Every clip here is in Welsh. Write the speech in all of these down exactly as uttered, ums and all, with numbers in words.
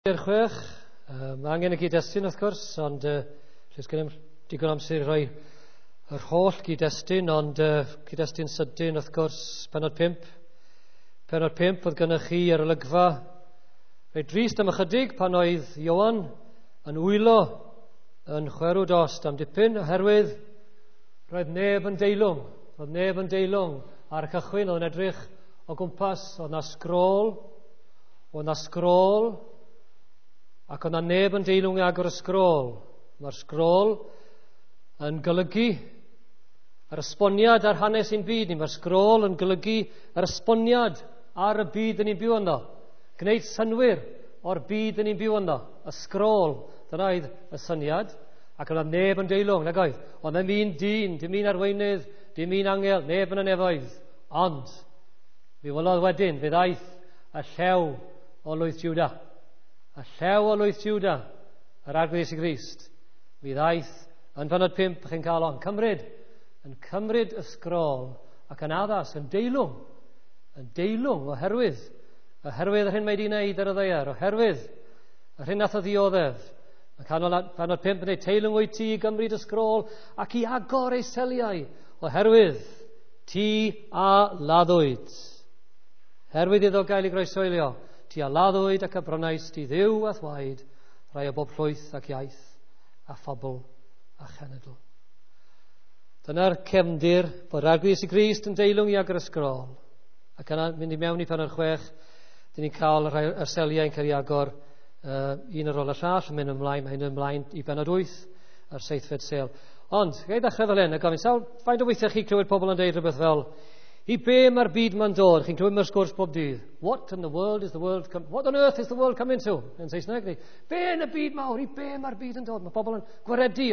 Chwech. Uh, mae angen y gyd-destun wrth gwrs, ond uh, lle sgen i'm digon amser i roi yr holl gyd-destun, ond uh, gyd-destun sydyn wrth gwrs, pennod pump. Pennod pump oedd gennych chi ar olygfa reit drist am ychydig pan oedd Ioan yn wylo yn chwerw dost am dipyn, oherwydd roedd neb yn deilwng. Roedd neb yn deilwng ar y cychwyn, oedd yn edrych o gwmpas, oedd na sgrôl, oedd na sgrôl, ac oedd na neb yn deilwng i agor y sgrôl. Mae'r sgrôl yn golygu yr esboniad ar hanes ein byd ni. Mae'r sgrôl yn golygu yr esboniad ar y byd yn ni'n byw ynddo. Gwneud synnwyr o'r byd yn ni'n byw ynddo. Y sgrôl, dyna oedd y syniad. Ac oedd na neb yn deilwng, nag oedd. Oedd ddim un dyn, dim un arweinydd, dim un angel, neb yn y nefoedd. Ond, mi welodd wedyn, fe ddaeth y llew o lwyth Juda. Y llew o lwyth Juda, yr Arglwydd Iesu Grist, mi ddaeth yn pennod pump, chi'n cael o'n cymryd, yn cymryd y sgrôl ac yn addas, yn deilwng, yn deilwng oherwydd, oherwydd yr hyn mae wedi wneud ar y ddaear, oherwydd yr hyn nath o ddioddef. Mae canol pennod pump yn dweud, teilwng wyt ti i gymryd y sgrôl ac i agor ei seliau, oherwydd ti a laddwyd. Herwydd iddo gael ei groeshoelio, ti a laddwyd ac a brynais ti Dduw a thwaed, rai o bob llwyth ac iaith, a phobl a chenedl. Dyna'r cefndir bod Arglwydd Iesu Grist yn deilwng i agor y sgrôl. Ac yna mynd i mewn i pennod chwech, dyn ni'n cael rhai y seliau yn cael ei agor uh, un ar ôl y llall, yn mynd ymlaen, mae'n mynd ymlaen i bennod wyth a'r seithfed sêl. Ond, ga i ddechrau fel hyn, a gofyn, sawl, faint o weithiau chi clywed pobl yn deud rhywbeth fel, i be mae'r byd ma'n dod? Chi'n clywed mewn sgwrs bob dydd. What in the world is the world come, what on earth is the world coming to? Yn Saesneg, neu, be yn y byd mawr? I be mae'r byd yn dod? Mae pobl yn gwaredu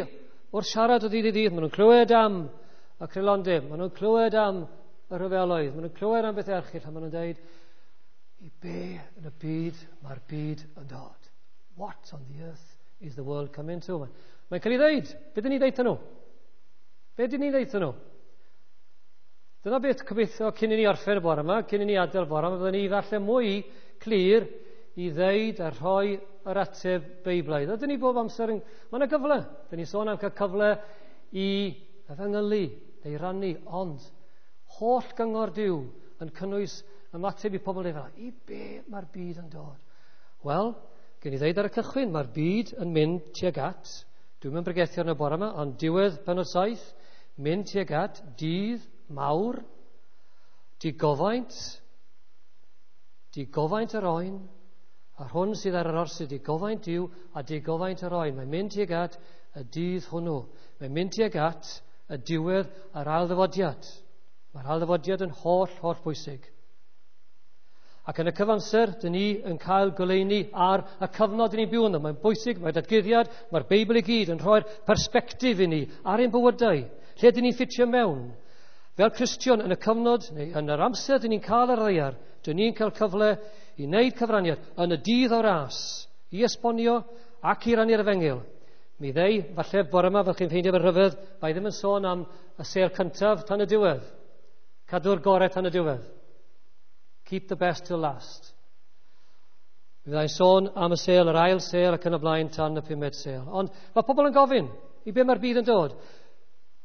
o'r siarad o ddydd i ddydd. Maen nhw'n clywed am y creulondeb, maen nhw'n clywed am y rhyfeloedd, maen nhw'n clywed am beth erchyll, a maen nhw'n dweud, i be yn y byd mae'r byd yn dod? What on the earth is the world coming to? Mae'n cael ei ddeud. Be dyn ni ddeud nhw? Be dyn ni ddeud nhw? Dyna beth gobeithio cyn i ni orffen y bore yma, cyn i ni adael y bore yma, byddwn ni falle mwy clir i ddeud a rhoi yr ateb Beiblaidd. Ydyn ni bob amser yn... Mae yna gyfle. Dyn ni sôn am cael cyfle i efengylu neu rannu, ond holl gyngor Duw yn cynnwys ymateb i pobl dweud fel, i be mae'r byd yn dod? Wel, gen i ddeud ar y cychwyn, mae'r byd yn mynd tuag at, dwi'n mynd bregethu arno bore yma, ond diwedd pennod saith, mynd tuag at dydd mawr, digofaint, digofaint yr oen, a'r hwn sydd ar yr orsedd, digofaint Duw a digofaint yr oen. Mae'n mynd tuag at y dydd hwnnw. Mae'n mynd tuag at y diwedd a'r ailddyfodiad. Mae'r ailddyfodiad yn holl, holl bwysig. Ac yn y cyfamser, dyn ni yn cael goleuni ar y cyfnod dyn ni'n byw ynddo. Mae'n bwysig, mae datguddiad, mae'r Beibl i gyd yn rhoi'r persbectif i ni ar ein bywydau, lle dyn ni'n ffitio mewn. Fel Cristion yn y cyfnod, neu yn yr amser dyn ni'n cael ar ddaear, dyn ni'n cael cyfle i wneud cyfraniad yn y dydd o'r ras, i esbonio ac i rannu'r efengyl. Mi ddeu, falle bore yma, fel chi'n ffeindio fe'n rhyfedd, mae ddim yn sôn am y sêl cyntaf tan y diwedd. Cadw'r gorau tan y diwedd. Keep the best till last. Mi fyddai'n sôn am y sêl, yr ail sêl ac yn y blaen tan y pumed sêl. Ond mae pobl yn gofyn i be mae'r byd yn dod.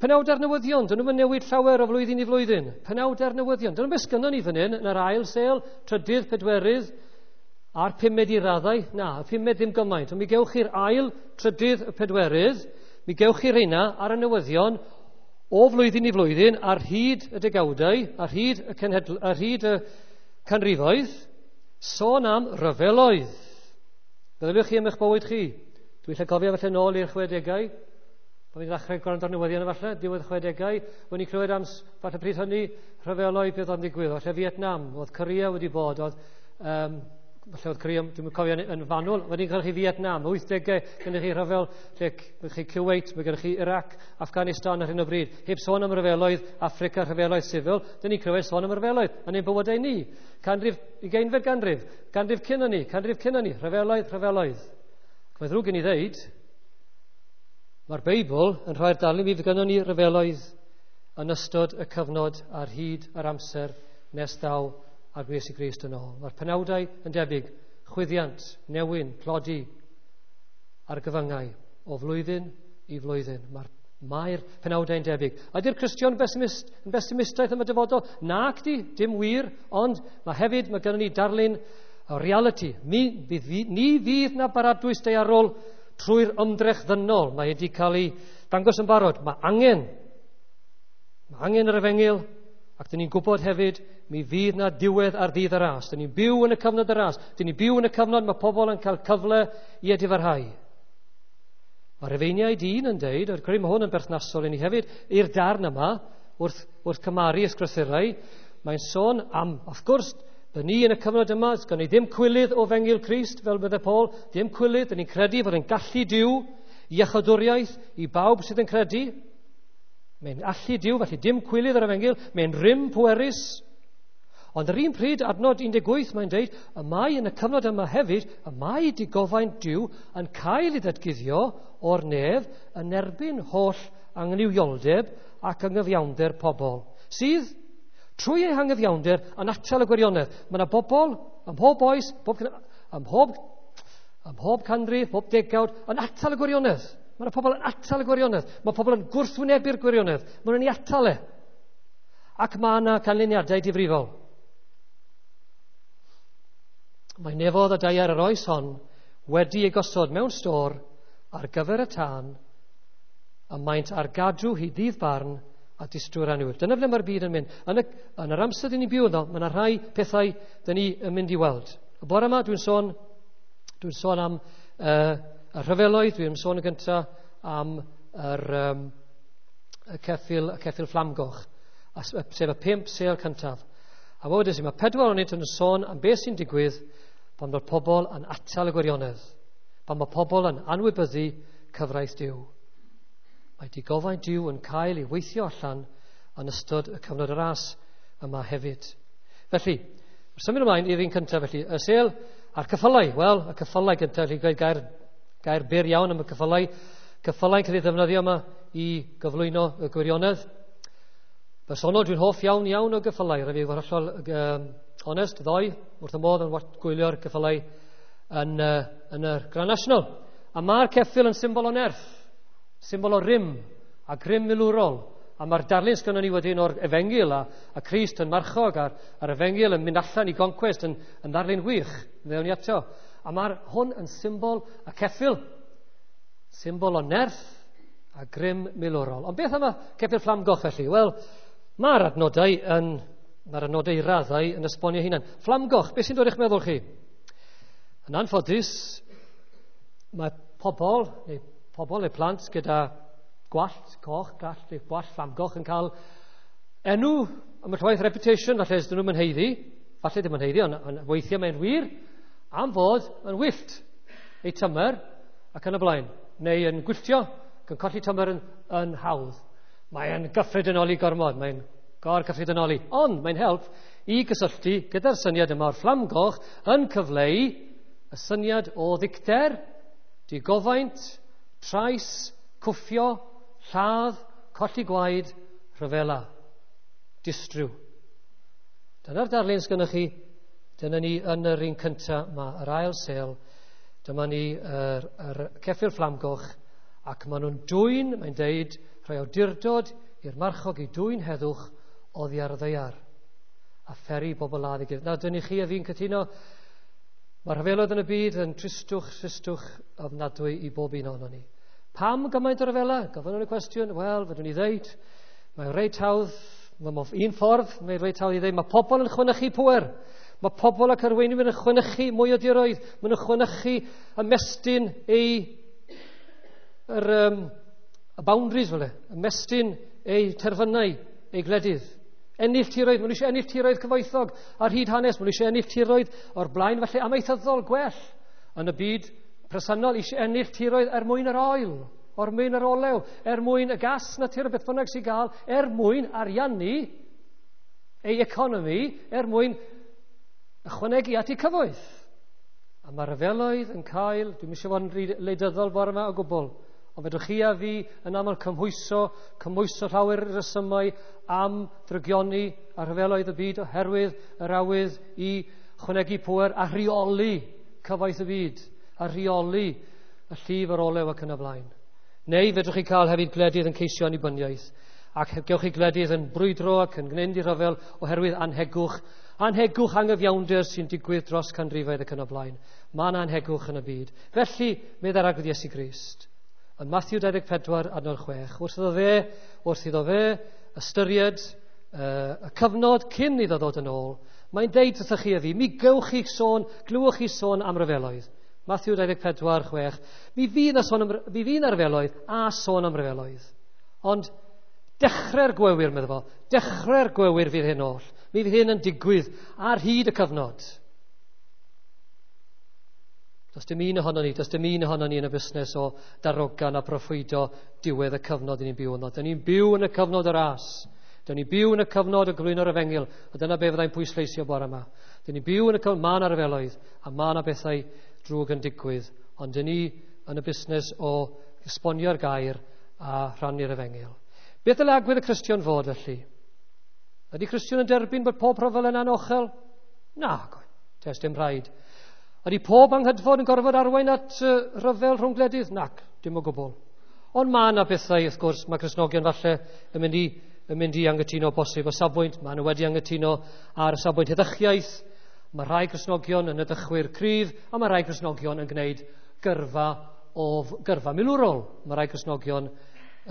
Penawdau'r newyddion, dyn nhw'n newid llawer o flwyddyn i flwyddyn. Penawdau'r newyddion, dyn nhw'n beth sgynnon ni fan hyn, yn yr ail sêl, trydydd, pedwerydd, a'r pumed i raddau. Na, y pumed ddim gymaint. Ond mi gewch chi'r ail, trydydd, y pedwerydd, mi gewch chi'r rheina ar y newyddion o flwyddyn i flwyddyn ar hyd y degawdau, ar hyd y, cenhedl, ar hyd y canrifoedd, sôn am ryfeloedd. Meddyliwch chi am eich bywyd chi. Dwi'n lle cofio falle nôl i'r chwedegau. Pan ni'n ddechrau gwrando ar newyddion falle, diwedd chwedegau, o'n i'n clywed am, falle pryd hynny, rhyfeloedd beth oedd yn digwydd. Falle Vietnam, oedd Korea wedi bod, oedd, um, falle oedd Korea, dwi'n cofio yn, yn fanwl, wedyn cael chi Vietnam, wythdegau, gennych chi rhyfel, lle gennych chi Kuwait, mae gennych chi Iraq, Afghanistan ar hyn o bryd. Heb sôn am rhyfeloedd Africa, rhyfeloedd sifil, dyn ni'n clywed sôn am rhyfeloedd yn ein bywydau ni. Canrif, ugeinfed ganrif, ganrif cyn hynny, canrif cyn hynny, rhyfeloedd, rhyfeloedd. Ac mae ddrwg gen i ddeud, mae'r Beibl yn rhoi'r darlun mi fydd gynnon ni ryfeloedd yn ystod y cyfnod ar hyd yr amser nes daw Arglwydd Iesu Grist yn ôl. Mae'r penawdau yn debyg, Chwyddiant, newyn, tlodi, argyfyngau o flwyddyn i flwyddyn. Mae'r Mae'r penawdau'n debyg. Ydy'r Cristion besimist, yn besimistaidd am y dyfodol? Nac di, dim wir, ond mae hefyd, mae gennym ni darlun o reality. Mi, fydd, ni fydd na baradwys daearol trwy'r ymdrech ddynol. Mae wedi cael ei dangos yn barod. Mae angen, mae angen yr efengyl, ac dyn ni'n gwybod hefyd, mi fydd na diwedd ar ddydd y ras. Dyn ni'n byw yn y cyfnod y ras. Dyn ni'n byw yn y cyfnod mae pobl yn cael cyfle i edifarhau. Mae'r Rhufeiniaid un yn deud, a'r credu mae hwn yn berthnasol i ni hefyd, i'r darn yma, wrth, wrth cymaru ysgrythurau, mae'n sôn am, wrth gwrs, dyn ni yn y cyfnod yma, sgan ni ddim cwilydd o Fengil Crist, fel bydde Paul, ddim cwilydd, dyn ni'n credu fod yn gallu Duw, iechydwriaeth i bawb sydd yn credu. Mae'n allu Duw, felly dim cwilydd yr efengyl, mae'n rym pwerus. Ond yr un pryd, adnod un deg wyth, mae'n deud, y mae yn y cyfnod yma hefyd, y mae digofaint Duw yn cael ei ddatguddio o'r nef yn erbyn holl anghyfioldeb ac anghyfiawnder pobl, sydd trwy eu hangyfiawnder yn atal y gwirionedd. Mae yna bobl ym mhob oes, bob, ym mhob, ym mhob canrif, pob degawd, yn atal y gwirionedd. Mae yna pobl yn atal y gwirionedd. Mae pobl yn gwrthwynebu'r gwirionedd. Mae nhw'n ei atal e. Ac mae yna canlyniadau difrifol. Mae nefodd a daear yr oes hon wedi ei gosod mewn stôr ar gyfer y tân, a maent ar gadw hyd ddydd barn a distry'r annwyl. Dyna ble mae'r byd yn mynd. Yn, y, yn yr amser dyn ni'n byw ynddo, mae yna rhai pethau dyn ni yn mynd i weld. Y bore yma dwi'n sôn, dwi'n sôn am uh, y rhyfeloedd, dwi'n sôn yn gyntaf am yr, um, y ceffyl, y ceffyl fflamgoch, sef y pump sêl cyntaf. A wedyn i, mae pedwar ohonynt yn sôn am beth sy'n digwydd pan mae'r pobl yn atal y gwirionedd, pan mae pobl yn anwybyddu cyfraith Duw. Mae digofaint Duw yn cael ei weithio allan yn ystod y cyfnod y ras yma hefyd. Felly, symud ymlaen i'r un cyntaf, felly, y sêl a'r ceffylau. Wel, y ceffylau gyntaf, felly gweud gair, gair byr iawn am y ceffylau. Ceffylau'n cael ei ddefnyddio yma i gyflwyno y gwirionedd. Bersonol, dwi'n hoff iawn iawn o geffylau. Rhaid fi fod hollol um, onest, ddoe, wrth y modd yn gwylio'r ceffylau yn, uh, yn y Grand National. A mae'r ceffyl yn symbol o nerth, symbol o rym a grym milwrol. A mae'r darlun sgynnon ni wedyn o'r efengyl a, a Crist yn marchog a'r, a'r efengyl yn mynd allan i goncwest yn, yn ddarlun wych. Ddewn ni ato. A mae'r hwn yn symbol y ceffyl, symbol o nerth a grym milwrol. Ond beth am y ceffyl fflamgoch felly? Wel, mae'r adnodau yn, mae'r adnodau i raddau yn esbonio hunan. Fflamgoch, beth sy'n dod i'ch meddwl chi? Yn anffodus, mae pobl, neu pobl neu plant gyda gwallt coch, gwallt neu gwallt fflamgoch yn cael enw am y llwaith reputation, falle ydyn nhw'n haeddu, falle ddim yn haeddu, ond, ond weithiau mae'n wir, am fod yn wyllt eu tymer ac yn y blaen, neu yn gwylltio ac yn colli tymer yn, yn hawdd. Mae'n gyffredinoli gormod, mae'n gor-gyffredinoli, ond mae'n help i gysylltu gyda'r syniad yma o'r fflamgoch yn cyfleu y syniad o ddicter, digofaint, trais, cwffio, lladd, colli gwaed, rhyfela, distryw. Dyna'r darlun sgynnoch chi, dyna ni yn yr un cyntaf, mae yr ail sêl, dyma ni yr, yr ceffyl fflamgoch, ac maen nhw'n dwyn, mae'n deud, rhoi awdurdod i'r marchog i dwyn heddwch oddi ar y ddaear a pheri bobl ladd i gilydd. Nawr, dyn ni chi a fi'n cytuno, mae'r rhyfeloedd yn y byd yn tristwch, tristwch ofnadwy i bob un ohonon ni. Pam gymaint o ryfela? Gofynnwn y cwestiwn, wel, fedrwn ni ddeud, mae'n reit hawdd, mae'n un ffordd, mae'n reit hawdd i ddeud, mae pobl yn chwanychu pŵer. Mae pobl ac arweinwyr yn chwanychu mwy o diroedd, maen nhw'n chwanychu ymestyn eu yr, um, y boundaries, fel e, ymestyn eu terfynau, eu gwledydd. Ennill tiroedd, maen nhw eisiau ennill tiroedd cyfoethog ar hyd hanes, maen nhw eisiau ennill tiroedd o'r blaen, felly amaethyddol gwell yn y byd presennol, eisiau ennill tiroedd er mwyn yr oil, er mwyn yr olew, er mwyn y gas natur, beth bynnag sy'n gael, er mwyn ariannu ei economi, er mwyn ychwanegu at ei cyfoeth. A mae'r rhyfeloedd yn cael, dwi'm eisiau fod yn wleidyddol bore yma o gwbl, ond fedrwch chi a fi yn aml cymhwyso, cymhwyso llawer resymau am ddrygioni a rhyfeloedd y byd oherwydd yr awydd i chwanegu pŵer a rheoli cyfoeth y byd a rheoli y llif yr olew ac yn y blaen. Neu fedrwch chi cael hefyd gwledydd yn ceisio annibyniaeth, ac gewch chi gwledydd yn brwydro ac yn gwneud i rhyfel oherwydd anhegwch, anhegwch anghyfiawnder sy'n digwydd dros canrifoedd ac yn y blaen. Mae yna anhegwch yn y byd. Felly, meddai'r Arglwydd Iesu Grist, yn Matthew dau ddeg pedwar adnod chwech, wrth iddo fe, wrth iddo fe ystyried uh, y cyfnod cyn iddo ddod yn ôl, mae'n deud wrthych chi a fi, mi gewch chi sôn, glywch chi sôn am ryfeloedd. Matthew dau ddeg pedwar chwech, mi fydd na sôn am, mi fydd na ryfeloedd a sôn am ryfeloedd. Ond dechrau'r gwewyr, meddwl fo, dechrau'r gwewyr fydd hyn oll. Mi fydd hyn yn digwydd ar hyd y cyfnod. Does dim un ohonon ni, does dim un ohonon ni yn y busnes o darogan a proffwydo diwedd y cyfnod ni'n byw yno. Dyn ni'n byw yn y cyfnod y ras. Dyn ni'n byw yn y cyfnod o gyflwyno'r efengyl, a dyna be fyddai'n pwysleisio bore yma. Dyn ni'n byw yn y cyfnod, mae yna ryfeloedd, a mae yna bethau drwg yn digwydd, ond dyn ni yn y busnes o esbonio'r gair a rhannu'r efengyl. Beth ddylai agwedd y Cristion fod felly? Ydy Cristion yn derbyn bod pob rhyfel yn anochel? Na, does dim rhaid. Ydy pob anghydfod yn gorfod arwain at uh, rhyfel rhwng gwledydd? Nac, dim o gwbl. Ond mae yna bethau, wrth gwrs, mae Cristnogion falle yn mynd i, yn mynd i anghytuno bosib o safbwynt. Mae nhw wedi anghytuno ar y safbwynt heddychiaeth. Mae rhai Cristnogion yn heddychwyr cryf, a mae rhai Cristnogion yn gwneud gyrfa, o, gyrfa milwrol. Mae rhai Cristnogion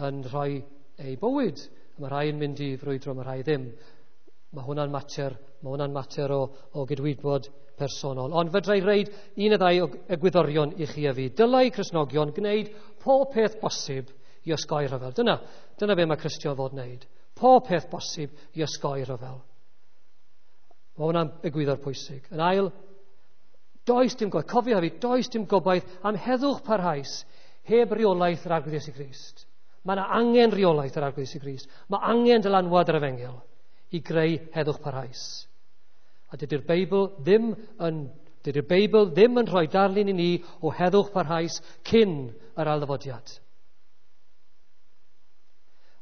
yn rhoi eu bywyd. Mae rhai yn mynd i frwydro, mae rhai ddim. Mae hwnna'n mater, mae hwnna'n mater o, o gydwybod personol. Ond fedra i reid un neu ddau o egwyddorion i chi a fi. Dylai Cristnogion gwneud pob peth bosib i osgoi rhyfel. Dyna, dyna be mae Cristion fod wneud. Pob peth bosib i osgoi rhyfel. Mae hwnna'n egwyddor pwysig. Yn ail, does dim gobaith, cofio hefyd, does dim gobaith am heddwch parhaus heb reolaeth yr Arglwydd Iesu Grist. Mae yna angen reolaeth yr Arglwydd Iesu Grist. Mae angen dylanwad yr efengyl i greu heddwch parhaus. A dydy'r Beibl ddim yn, dydy'r Beibl ddim yn rhoi darlun i ni o heddwch parhaus cyn yr ailddyfodiad.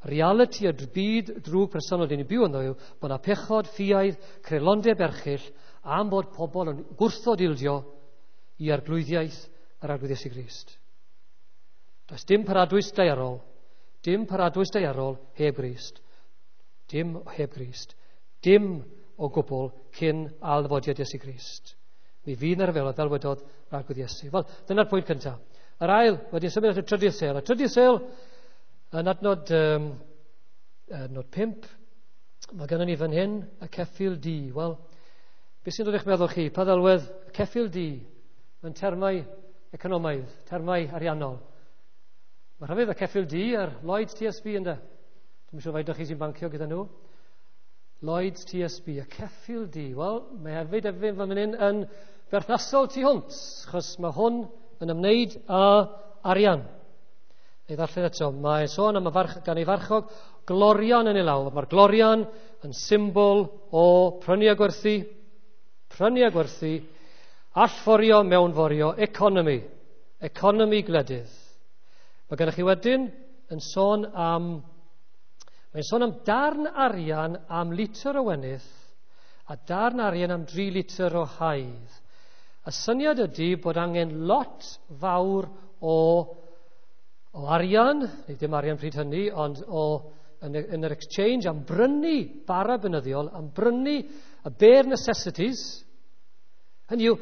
Realiti y byd drwg presennol dyn ni'n byw ynddo yw bod yna pechod, ffiaidd, creulondeb erchyll am bod pobl yn gwrthod ildio i arglwyddiaeth yr Arglwydd Iesu Grist. Does dim paradwys daearol, dim paradwys daearol heb Grist. Dim heb Grist. Dim o gwbl cyn ailddyfodiad Iesu Grist. Mi fydd yna ryfeloedd fel wedodd yr Arglwydd Iesu. Wel, dyna'r pwynt cyntaf. Yr ail, wedyn symud at y trydydd sêl. Y trydydd sêl, yn adnod, um, adnod pump, mae gennym ni fan hyn y ceffyl du. Wel, beth sy'n dod i'ch meddwl chi? Pa ddelwedd y ceffyl du mewn termau economaidd, termau ariannol? Mae rhyfedd y ceffyl du ar Lloyds T S B ynde? Dwi'n siŵr faint o chi sy'n bancio gyda nhw. Lloyds T S B, y ceffyl du. Wel, mae hefyd hefyd fan hyn yn berthnasol tu hwnt, achos mae hwn yn ymwneud â arian. Ei ddarllen eto, mae sôn am y farch, gan ei farchog glorian yn ei law. Mae'r glorian yn symbol o prynu a gwerthu, prynu a gwerthu, allforio, mewnforio, economi, economi gwledydd. Mae gennych chi wedyn yn sôn am, mae'n sôn am darn arian am litr o wenith a darn arian am dri litr o haidd. Y syniad ydy bod angen lot fawr o, o arian, neu dim arian pryd hynny, ond o, yn, yn yr exchange am brynu bara beunyddiol, am brynu y bare necessities. Hynny yw,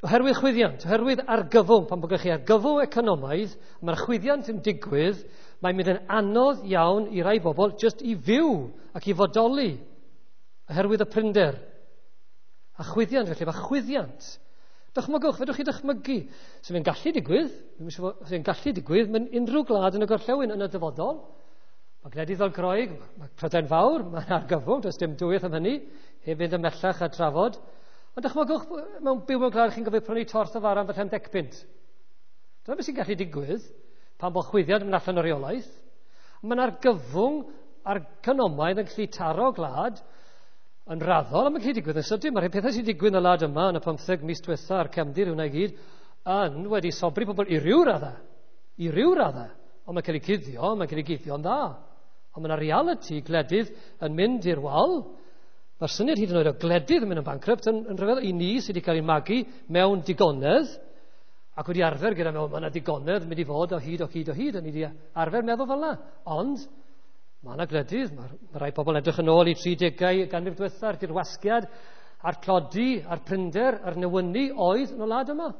oherwydd chwyddiant, oherwydd argyfwng, pan bod gennych chi argyfwng economaidd, mae'r chwyddiant yn digwydd, mae'n mynd yn anodd iawn i rai bobl jyst i fyw ac i fodoli oherwydd y prinder. A chwyddiant, felly, mae chwyddiant. Dychmygwch, fedrwch chi dychmygu. Sy'n gallu digwydd, sy'n gallu digwydd mewn unrhyw gwlad yn y gorllewin yn y dyfodol. Mae gwledydd fel Groeg, mae Prydain Fawr, mae'n argyfwng, does dim dwywaith am hynny, heb fynd ymhellach a trafod. Ond dychmygwch, mewn byw mewn gwlad chi'n gofio prynu torth o fara am falle am deg punt. Dyna beth sy'n gallu digwydd pan bod chwyddiant yn mynd allan o reolaeth. Mae'n argyfwng economaidd yn gallu taro gwlad yn raddol, a mae'n gallu digwydd yn sydyn. Mae'r pethau sy'n digwydd yn y wlad yma yn y pymtheg mis diwetha a'r cefndir hwnna i gyd yn wedi sobri pobl i ryw raddau. I ryw raddau. Ond mae'n cael ei cuddio, mae'n cael ei guddio'n dda. Ond mae'n realiti gwledydd yn mynd i'r wal Mae'r syniad hyd yn oed o gledydd yn mynd yn bankrupt yn, yn rhyfedd i ni sydd wedi cael ei magu mewn digonedd ac wedi arfer gyda mewn, mae yna digonedd yn mynd i fod o hyd o hyd o hyd, a ni wedi arfer meddwl fel yna. Ond mae yna gledydd, mae, mae rai pobl yn edrych yn ôl i tridegau ganrif diwetha'r dirwasgiad a'r tlodi, a'r prinder, a'r newynu oedd yn y wlad yma.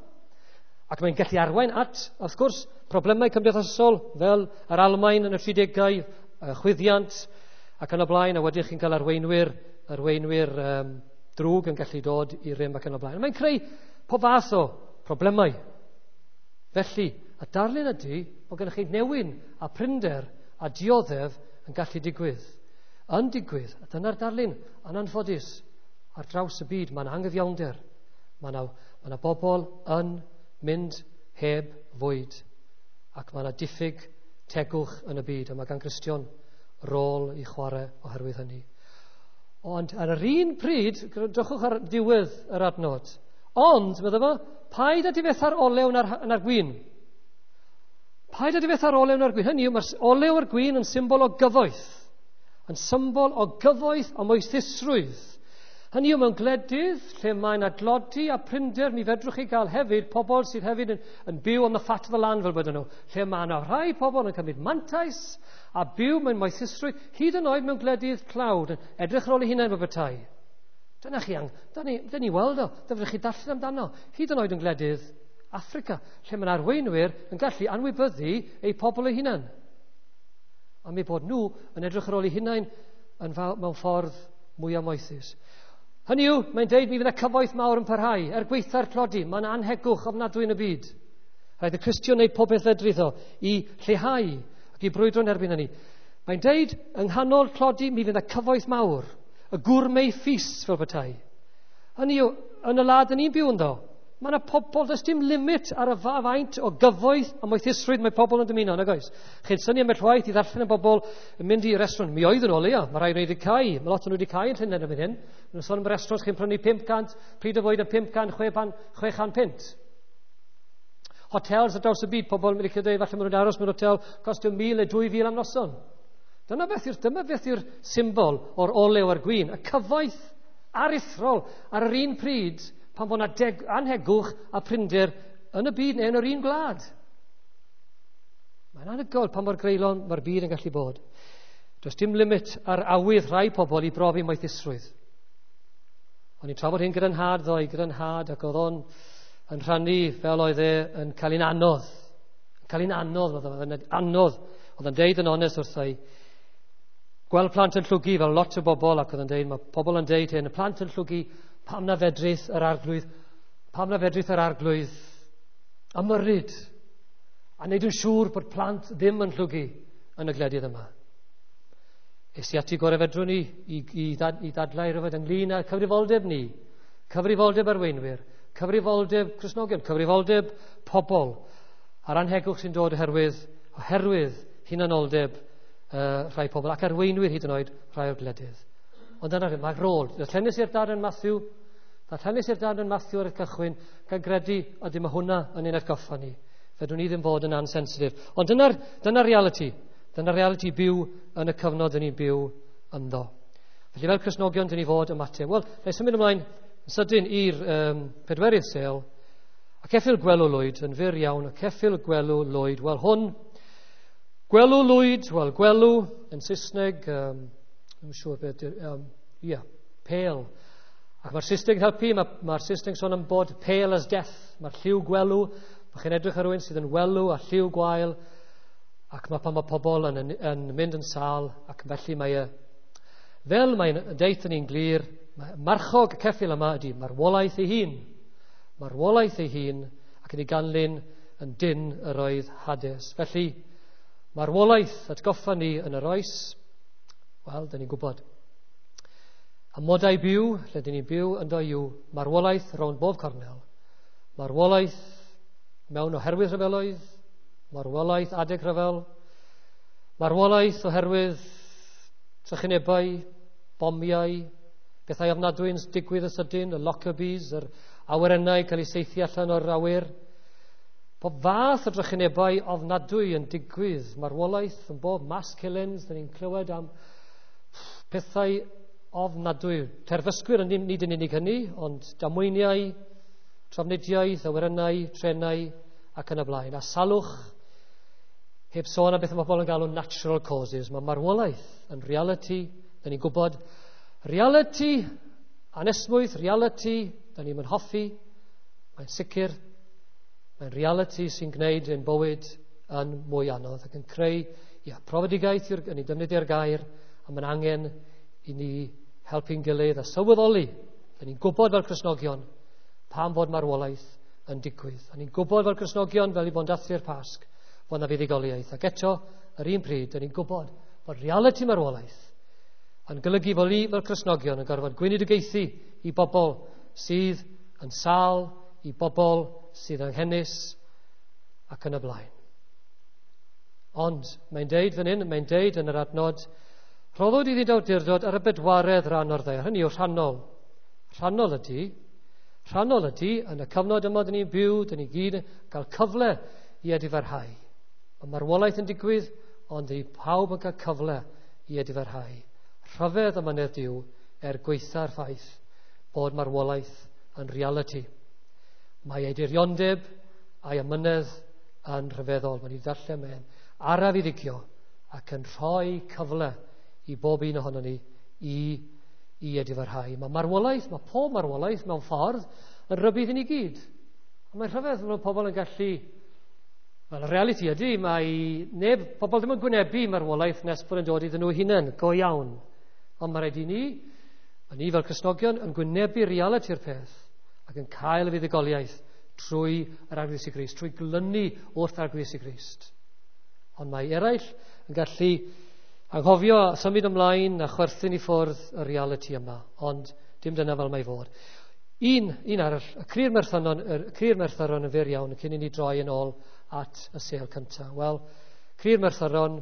Ac mae'n gallu arwain at, wrth gwrs, problemau cymdeithasol fel yr Almaen yn y tridegau, chwyddiant ac yn y blaen, a wedyn chi'n cael arweinwyr, arweinwyr um, drwg yn gallu dod i rym ac yn y blaen. Mae'n creu pob fath o problemau. Felly, y darlun ydy bod gennych chi newyn a prinder a dioddef yn gallu digwydd. Yn digwydd, a dyna'r darlun, yn anffodus, ar draws y byd, mae'n anghyfiawnder. Mae yna, mae yna bobl yn mynd heb fwyd, ac mae yna diffyg tegwch yn y byd, a mae gan Gristion rôl i chwarae oherwydd hynny. Ond ar yr un pryd, drychwch ar diwedd yr adnod, ond, meddwl fo, paid â difetha'r olew na'r, na'r gwin. Paid â difetha'r olew na'r gwin. Hynny yw, mae'r olew a'r gwin yn symbol o gyfoeth. Yn symbol o gyfoeth a moethusrwydd. Hynny yw, mewn gwledydd lle mae yna dlodi a prinder, mi fedrwch chi gael hefyd pobl sydd hefyd yn, yn byw on the fat of the land fel bod nhw. Lle mae yna rhai pobl yn cymryd mantais a byw mewn moethusrwydd, hyd yn oed mewn gwledydd tlawd, yn edrych ar ôl eu hunain fel petai. Dyna chi, dyna ni, dyna ni weld o, dyna chi darllen amdano, hyd yn oed yn gwledydd Affrica, lle mae'n arweinwyr yn gallu anwybyddu eu pobl eu hunain. Am eu bod nhw yn edrych ar ôl eu hunain yn mewn ffordd mwy moethus. Hynny yw, mae'n deud mi fydd y cyfoeth mawr yn parhau, er gwaetha'r tlodi, mae'n anhegwch ofnadwy yn y byd. Rhaid y Cristion wneud popeth fedrith o i lleihau ac i brwydro yn erbyn hynny. Mae'n deud, yng nghanol tlodi, mi fydd y cyfoeth mawr, y gourmet feast fel petai. Hynny yw, yn y wlad yn ni'n byw ynddo, mae yna pobl, does dim limit ar y faint o gyfoeth a moethusrwydd mae pobl yn dymuno, nag oes? Chi'n syni ambell waith i ddarllen y bobl yn mynd i restaurant. Mi oedd yn ôl, ia, mae rhai wedi cau. Mae lot o'n nhw wedi cau yn Llundain erbyn hyn. Mae'n sôn am restaurant chi'n prynu pump cant, pryd o fwyd yn pump cant, chwe chant punt. Hotels ar draws y byd, pobl yn mynd i dweud, falle maen nhw'n aros mewn hotel, costio mil neu dwy fil am noson. Dyna beth yw'r, dyma beth yw'r symbol o'r olew a'r gwin. Y cyfoeth aruthrol ar yr un pryd pan bod yna anhegwch a prinder yn y byd neu yn yr un gwlad. Mae'n anhygoel pa mor greulon mae'r byd yn gallu bod. Does dim limit ar awydd rhai pobl i brofi moethusrwydd. O'n i'n trafod hyn gyda'n nhad ddoe, gyda'n nhad, ac oedd o'n yn rhannu fel oedd e yn cael un anodd. Yn cael un anodd, oedd o'n anodd. Oedd o'n deud yn onest wrtha i, gweld plant yn llwgu fel lot o bobl, ac oedd o'n deud, mae pobl yn deud hyn, y plant yn llwgu, pam na fedrith yr arglwydd, pam na fedrith yr arglwydd ymyrryd a wneud yn siŵr bod plant ddim yn llwgu yn y gwledydd yma. Es i ati gorau fedrwn ni i, i, ddad, i ddadlau rhywbeth ynglyn â cyfrifoldeb ni, cyfrifoldeb arweinwyr, cyfrifoldeb Cristnogion, cyfrifoldeb pobl, a'r anhegwch sy'n dod oherwydd, oherwydd hunanoldeb uh, rhai pobl ac arweinwyr hyd yn oed rhai o'r gwledydd. Ond dyna mae'r rôl. Darllenes i'r darn yn Matthew, darllenes i'r darn yn Matthew ar y cychwyn, gan gredu, a dim hwnna yn ein atgoffa ni. Fedrwn ni ddim fod yn ansensitif. Ond dyna'r dyna reality. Dyna'r reality byw yn y cyfnod yn ni'n byw ynddo. Felly fel Cristnogion, dyn ni fod ymateb. Wel, na i symud ymlaen yn sydyn i'r um, pedwerydd sêl. A ceffyl gwelw lwyd, yn fyr iawn, a ceffyl gwelw lwyd. Wel, hwn, gwelw lwyd, wel, gwelw yn Saesneg, um, I'm siŵr beth, um, yeah, pale. Ac mae'r Saesneg yn helpu, mae'r ma Saesneg sôn am bod pale as death. Mae'r lliw gwelw, mae chi'n edrych ar rhywun sydd yn welw a lliw gwael, ac mae pan mae pobl yn, yn, yn mynd yn sâl, ac felly mae e, fel mae'n deud ni'n glir, marchog y ceffyl yma ydy marwolaeth ei hun. Marwolaeth ei hun, ac yn ei ganlyn yn dyn yr oedd Hades. Felly, marwolaeth atgoffa ni yn yr oes, wel, dyn ni'n gwybod. Amodau byw, lle dyn ni'n byw ynddo yw marwolaeth rownd bob cornel. Marwolaeth mewn oherwydd rhyfeloedd, marwolaeth adeg rhyfel, marwolaeth oherwydd trychinebau, bomiau, bethau ofnadwy yn digwydd yn sydyn, y Lockerbies, yr awyrennau cael eu saethu allan o'r awyr. Pob fath o drychinebau ofnadwy yn digwydd, marwolaeth yn bob mass killings, dyn ni'n clywed am pethau ofnadwy. Terfysgwyr yn nid yn unig hynny, ond damweiniau, trafnidiaeth, awyrennau, trenau ac yn y blaen. A salwch, heb sôn am beth mae pobl yn galw natural causes. Mae marwolaeth yn reality, da ni'n gwybod. Reality, anesmwyth, reality, da ni'n mynd hoffi, mae'n sicr, mae'n reality sy'n gwneud ein bywyd yn mwy anodd ac yn creu ia, profedigaeth yw'r, yn ei defnyddio'r gair, a mae'n angen i ni helpu'n gilydd a sylweddoli. Da ni'n gwybod fel Cristnogion pam fod marwolaeth yn digwydd. A ni'n gwybod fel Cristnogion, fel i bod yn dathlu'r Pasg, fod yna fuddugoliaeth. Ac eto, yr un pryd, da ni'n gwybod bod reality marwolaeth yn golygu fod ni fel Cristnogion yn gorfod gweinidogaethu i bobl sydd yn sâl, i bobl sydd anghenus ac yn y blaen. Ond mae'n deud fan hyn, mae'n deud yn yr adnod, rhoddwyd iddynt awdurdod ar y bedwaredd ran o'r ddaear. Hynny yw rhannol. Rhannol ydy, rhannol ydy, yn y cyfnod yma dyn ni'n byw, dyn ni gyd yn cael cyfle i edifarhau. Mae marwolaeth yn digwydd, ond i pawb yn cael cyfle i edifarhau. Rhyfedd amynedd Duw er gwaetha'r ffaith bod marwolaeth yn reality. Mae ei diriondeb a'i amynedd yn rhyfeddol. Mae'n ei ddarllen mae'n araf i ddigio ac yn rhoi cyfle i bob un ohonon ni i, i edifarhau. Mae marwolaeth, mae pob marwolaeth mewn ffordd yn rhybudd i ni gyd. A mae'n rhyfedd bod pobl yn gallu, wel, y reality ydy, mae neb, pobl ddim yn gwynebu marwolaeth nes bod yn dod iddyn nhw hunain, go iawn. Ond mae rhaid i ni, a ni fel Cristnogion, yn gwynebu realiti'r peth ac yn cael y fuddugoliaeth trwy yr Arglwydd Iesu Grist, trwy glynu wrth Arglwydd Iesu Grist. Ond mae eraill yn gallu anghofio a symud ymlaen a chwerthin i ffwrdd y reality yma, ond dim dyna fel mae fod. Un, un arall, y cri'r merthyron, y cri'r merthyron yn fyr iawn cyn i ni droi yn ôl at y sêl cyntaf. Wel, cri'r merthyron,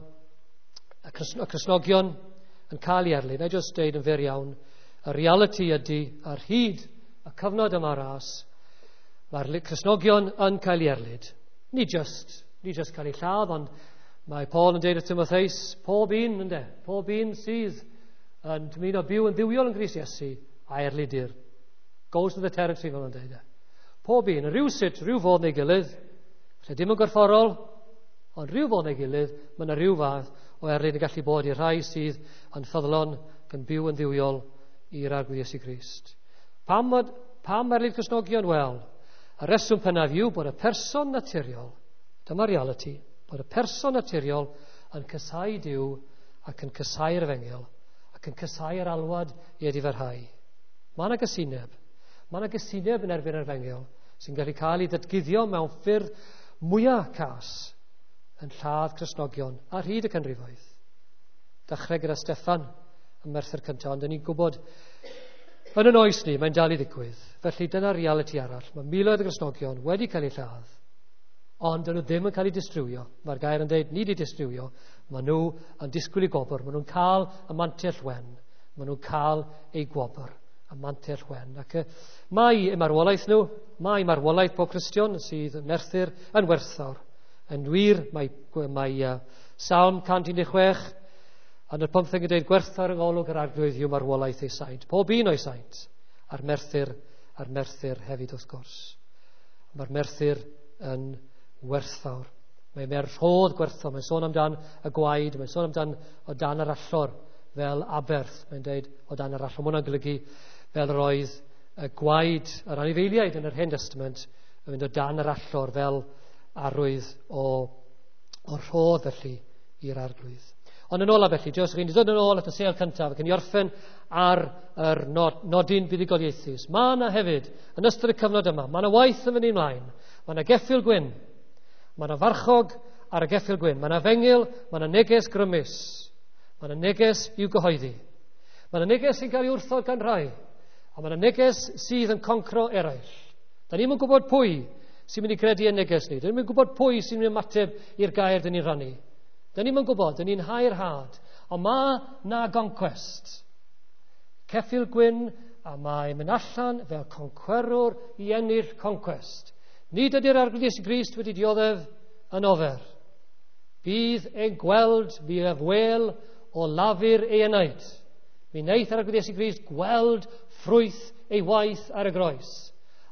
y, Crist, y Cristnogion yn cael ei erlyn. Na i jyst deud yn fyr iawn, y reality ydy ar hyd y cyfnod yma ras, mae'r Cristnogion yn cael ei erlid. Ni just, ni just cael ei lladd, ond mae Paul yn deud wrth Timotheus, pob un, ynde, pob un sydd yn dymuno byw yn dduwiol yn Grist Iesu, a erlidir. Goes to the territory, fel yn deud e. Pob un, rhywsut, rhyw fodd neu gilydd, lle dim yn gorfforol, ond rhyw fodd neu gilydd, mae yna rhyw fath o erlid yn gallu bod i'r rhai sydd yn ffyddlon ac yn byw yn dduwiol i'r Arglwydd Iesu Grist. Pam, pam erlid Cristnogion? Wel, y reswm pennaf yw bod y person naturiol, dyma reality, bod y person naturiol yn casáu Duw ac yn casáu'r efengyl ac yn casáu'r alwad i edifarhau. Mae yna gysineb. Mae yna gysineb yn erbyn yr efengyl sy'n gallu cael ei ddatguddio mewn ffyrdd mwyaf cas yn lladd Cristnogion ar hyd y canrifoedd. Dechrau gyda Steffan y merthyr cyntaf, ond ni'n gwybod yn yn oes ni, mae'n dal i ddigwydd. Felly dyna reality arall. Mae miloedd o Gristnogion wedi cael eu lladd, ond dyn nhw ddim yn cael eu distrywio. Mae'r gair yn dweud, nid eu distrywio, maen nhw yn disgwyl eu gwobr. Maen nhw'n cael y mantell wen. Maen nhw'n cael eu gwobr, y mantell wen. Ac mae eu marwolaeth nhw, mae marwolaeth pob Cristion sydd yn merthyr yn werthfawr. Yn wir, mae, mae uh, Salm cant un deg chwech yn y pymtheg yn dweud gwerthfawr yng ngolwg yr Arglwydd yw marwolaeth ei saint. Pob un o'i saint, a'r merthyr, a'r merthyr hefyd wrth gwrs. Mae'r merthyr yn werthfawr. Mae mae'r rhodd gwerthfawr. Mae'n sôn amdan y gwaed, mae'n sôn amdan o dan yr allor fel aberth. Mae'n dweud o dan yr allor. Mae hwnna'n golygu fel yr oedd y gwaed yr anifeiliaid yn yr Hen Testament yn mynd o dan yr allor fel arwydd o, o rhodd felly i'r Arglwydd. Ond yn ola felly, Joseph, chi'n dod yn ôl at y sêl cyntaf ac yn i orffen ar yr nod, nodyn buddugoliaethus. Mae yna hefyd, yn ystod y cyfnod yma, mae yna waith yn mynd ymlaen. Mae yna geffyl gwyn, mae yna farchog ar y geffyl gwyn, mae yna efengyl, mae yna neges grymus, mae yna neges i'w gyhoeddi. Mae yna neges sy'n cael ei wrthod gan rai, a mae yna neges sydd yn concro eraill. Da ni'm yn gwybod pwy sy'n mynd i gredu yn neges ni. Da ni'm yn gwybod pwy sy'n mynd i ymateb i'r gair dyn ni'n rhannu. Da ni'm yn gwybod, dyn ni'n hau'r had. Ond mae na goncwest. Ceffyl gwyn, a mae'n mynd allan fel concwerwr i ennill concwest. Nid ydy'r Arglwydd Iesu Grist wedi dioddef yn ofer. Bydd e'n gweld, bydd ef wel o lafur ei enaid. Mi wnaeth yr Arglwydd Iesu Grist gweld ffrwyth ei waith ar y groes.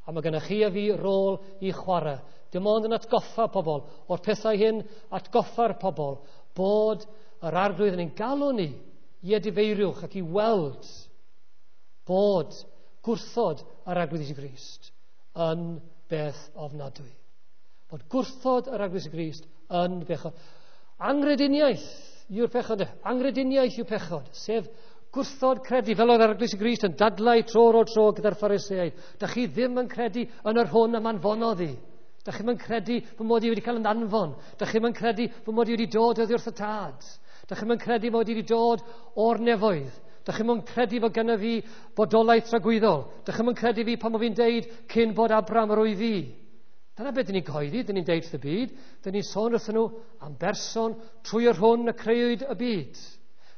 A mae gennych chi a fi rôl i chwarae. Dim ond yn atgoffa pobl o'r pethau hyn, atgoffa'r pobl bod yr Arglwydd yn ein galw ni i edifeiriwch ac i weld bod gwrthod yr Arglwydd Iesu Grist yn beth ofnadwy. Bod gwrthod yr Arglwydd Iesu Grist yn bechod. Anghrediniaeth yw'r pechod. Anghrediniaeth yw pechod, sef gwrthod credu, fel oedd Arglwydd Iesu Grist yn dadlau tro ar ôl tro gyda'r Phariseaid. Da chi ddim yn credu yn yr hwn y anfonodd i. Da chi'm yn credu fy mod i wedi cael yn anfon. Da chi'm yn credu fy mod i wedi dod oddi wrth y Tad. Da chi'm yn credu mod i wedi dod o'r nefoedd. Da chi'm yn credu fod gennyf fi bodolaeth tragwyddol. Da chi'm yn credu fi pan mod fi'n deud cyn bod Abraham yr wyf fi. Dyna beth dyn ni'n cyhoeddi, dyn ni'n deud wrth y byd. Dyn ni'n sôn wrthyn nhw am berson trwy yr hwn y creuwyd y byd.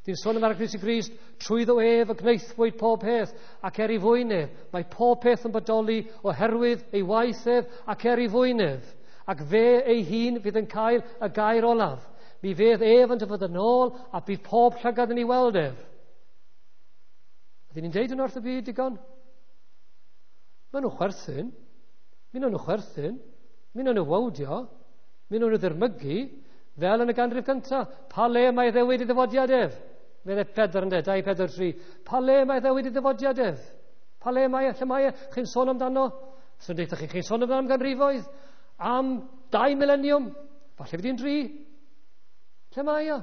Dyn ni'n sôn am Arglwydd Iesu Grist, trwyddo ef y gwnaethpwyd pob peth, ac er ei fwyn ef. Mae pob peth yn bodoli oherwydd ei waith ef ac er ei fwyn ef. Ac fe ei hun fydd yn cael y gair olaf. Mi fydd ef yn dyfod yn ôl a bydd pob llygad yn ei weld ef. Ydyn ni'n deud yn wrth y byd digon? Maen nhw chwerthin. Mi nhw'n nhw chwerthin. Mi nhw'n nhw wawdio. Mi nhw'n nhw ddirmygu. Fel yn y ganrif gyntaf. Pa le mae ddewid i ddyfodiad ef? Fe dde pedwar yn de, dau, pedwar, tri. Pa le mae ddewid i ddyfodiad ef? Pa le mae e? Lle mae e? Chi'n sôn amdano? Swn deitha chi, chi'n sôn amdano am ganrifoedd? Am dau mileniwm? Falle fydd hi'n dri. Lle mae e?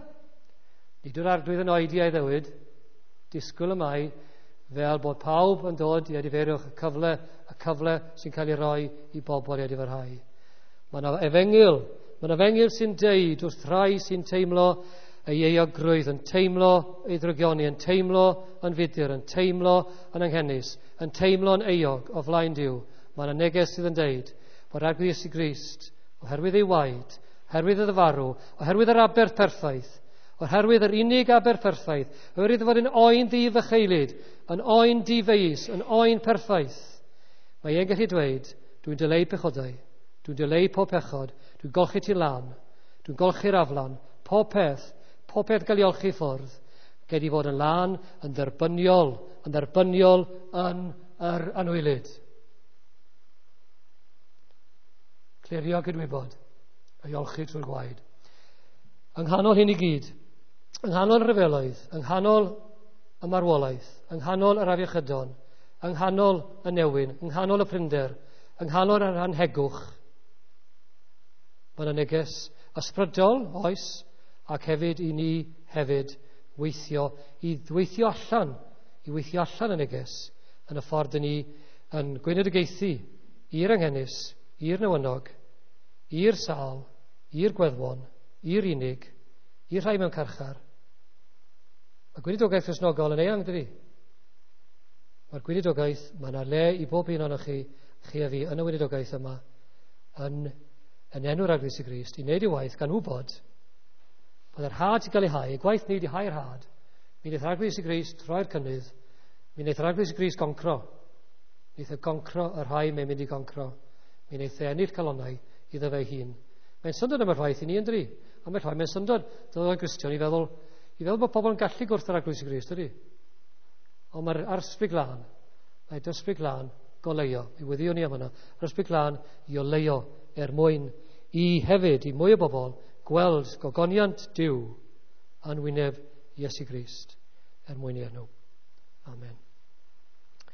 Nid yw'r Arglwydd yn oedi a'i ddewid. Disgwyl y mae fel bod pawb yn dod i edifeiriwch y cyfle, y cyfle sy'n cael ei roi i bobl i edifarhau. Mae yna efengyl, mae yna efengyl sy'n deud wrth rhai sy'n teimlo ei euogrwydd, yn teimlo ei ddrygioni, yn teimlo yn fudur, yn teimlo yn anghenus, yn teimlo'n euog o flaen Duw. Mae yna neges sydd yn deud bod Arglwydd Iesu Grist, oherwydd ei waed, oherwydd iddo farw, oherwydd yr aberth perffaith, oherwydd yr unig aberth perffaith, oherwydd fod yn oen ddi-fycheilyd, yn oen difeus, yn oen perffaith, mae e'n gallu dweud, dwi'n dileu pechodau, dwi'n dileu pob pechod, dwi'n golchi ti lan, dwi'n golchi'r aflan, pob peth, pob peth gael ei olchi ffwrdd, gei di fod yn lân, yn dderbyniol, yn dderbyniol yn yr anwylyd. Clirio cydwybod, ei olchi trwy'r gwaed. Yng nghanol hyn i gyd, yng nghanol y rhyfeloedd, yng nghanol y marwolaeth, yng nghanol yr afiechydon, yng nghanol y newyn, yng nghanol y prinder, yng nghanol yr anhegwch, mae yna neges ysbrydol, oes, ac hefyd i ni hefyd weithio, i weithio allan, i weithio allan y neges yn y ffordd ni yn gweinidogaethu i'r anghenus, i'r newynog, i'r sâl, i'r gweddwon, i'r unig, i'r rhai mewn carchar. Mae gweinidogaeth Gristnogol yn eang, dydi? Mae'r gweinidogaeth, mae yna le i bob un ohonoch chi, chi a fi, yn y weinidogaeth yma, yn, yn enw'r Arglwydd Iesu Grist, i wneud ei waith gan wybod bod yr had sy'n cael ei hau, y gwaith ni wedi hau'r had, mi wnaeth yr Arglwydd Iesu Grist roi'r cynnydd, mi wnaeth yr Arglwydd Iesu Grist goncro. Mi wnaeth e goncro y rhai mae'n mynd i goncro. Mi wnaeth e ennill calonnau iddo fe hun. Mae'n syndod am y ffaith i ni yn dri. Am y ffaith, mae'n syndod dod o'n Gristion i feddwl, i feddwl bod pobl yn gallu gwrth yr Arglwydd Iesu Grist, ydy? Ond mae'r Ysbryd Glân, mae Ysbryd Glân goleuo, i weddïo ni am hwnna, yr Ysbryd Glân i oleuo er mwyn i hefyd, i mwy o bobl, gweld gogoniant Duw yn wyneb Iesu Grist er mwyn i enw. Amen.